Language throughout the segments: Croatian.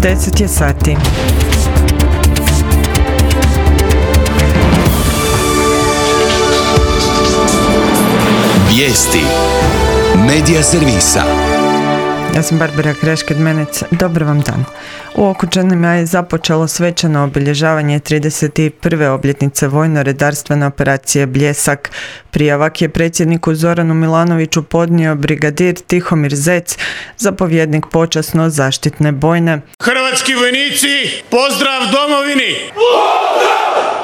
10 je sati. Vijesti Medija servisa. Ja sam Barbara Krešked-Menec. Dobar vam dan. U Okučanima je započelo svečano obilježavanje 31. obljetnice vojno-redarstvene operacije Bljesak. Prijavak je predsjedniku Zoranu Milanoviću podnio brigadir Tihomir Zec, zapovjednik počasno-zaštitne bojne. Hrvatski vojnici, pozdrav domovini!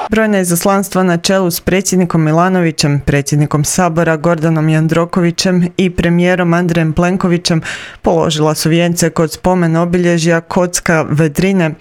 Brojna izaslanstva na čelu s predsjednikom Milanovićem, predsjednikom Sabora Gordanom Jandrokovićem i premijerom Andrejem Plenkovićem položila su vijence kod spomen obilježja Kocka Vedrine.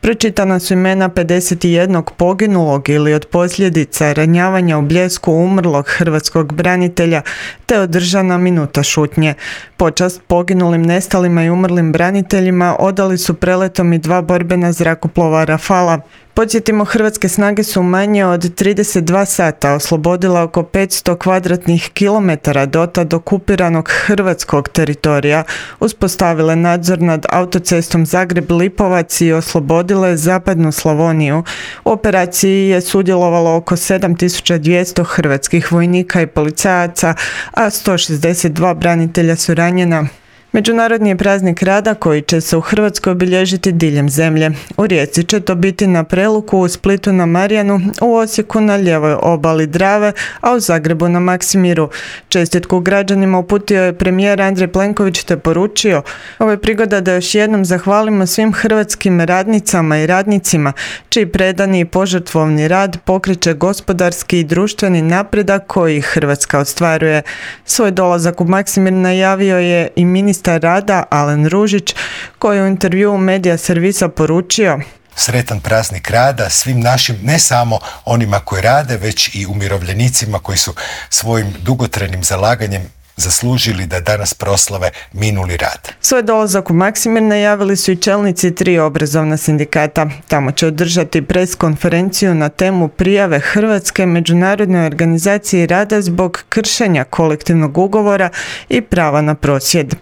Pročitana su imena 51 poginulog ili od posljedica ranjavanja u Bljesku umrlog hrvatskog branitelja, te održana minuta šutnje. Počast poginulim, nestalima i umrlim braniteljima odali su preletom i 2 borbena zrakoplova Rafala. Podsjetimo, hrvatske snage su manje od 32 sata oslobodila oko 500 kvadratnih kilometara dotad okupiranog hrvatskog teritorija, uspostavile nadzor nad autocestom Zagreb-Lipovac i oslobodile zapadnu Slavoniju. U operaciji je sudjelovalo oko 7200 hrvatskih vojnika i policajaca, a 162 branitelja su ranjena. Međunarodni je praznik rada koji će se u Hrvatskoj obilježiti diljem zemlje. U Rijeci će to biti na Preluku, u Splitu na Marjanu, u Osijeku na lijevoj obali Drave, a u Zagrebu na Maksimiru. Čestitku građanima uputio je premijer Andrej Plenković te poručio: ovo je prigoda da još jednom zahvalimo svim hrvatskim radnicama i radnicima, čiji predani i požrtvovni rad pokreće gospodarski i društveni napredak koji Hrvatska ostvaruje. Svoj dolazak u Maksimir najavio je i ministar rada Alen Ružić, koji u intervjuu Medija servisa poručio: sretan praznik rada svim našim, ne samo onima koji rade, već i umirovljenicima koji su svojim dugotrajnim zalaganjem zaslužili da danas proslave minuli rad. Svoj dolazak u Maksimir najavili su i čelnici 3 obrazovna sindikata. Tamo će održati pres konferenciju na temu prijave Hrvatske Međunarodnoj organizaciji rada zbog kršenja kolektivnog ugovora i prava na prosvjed.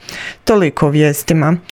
Toliko o vijestima.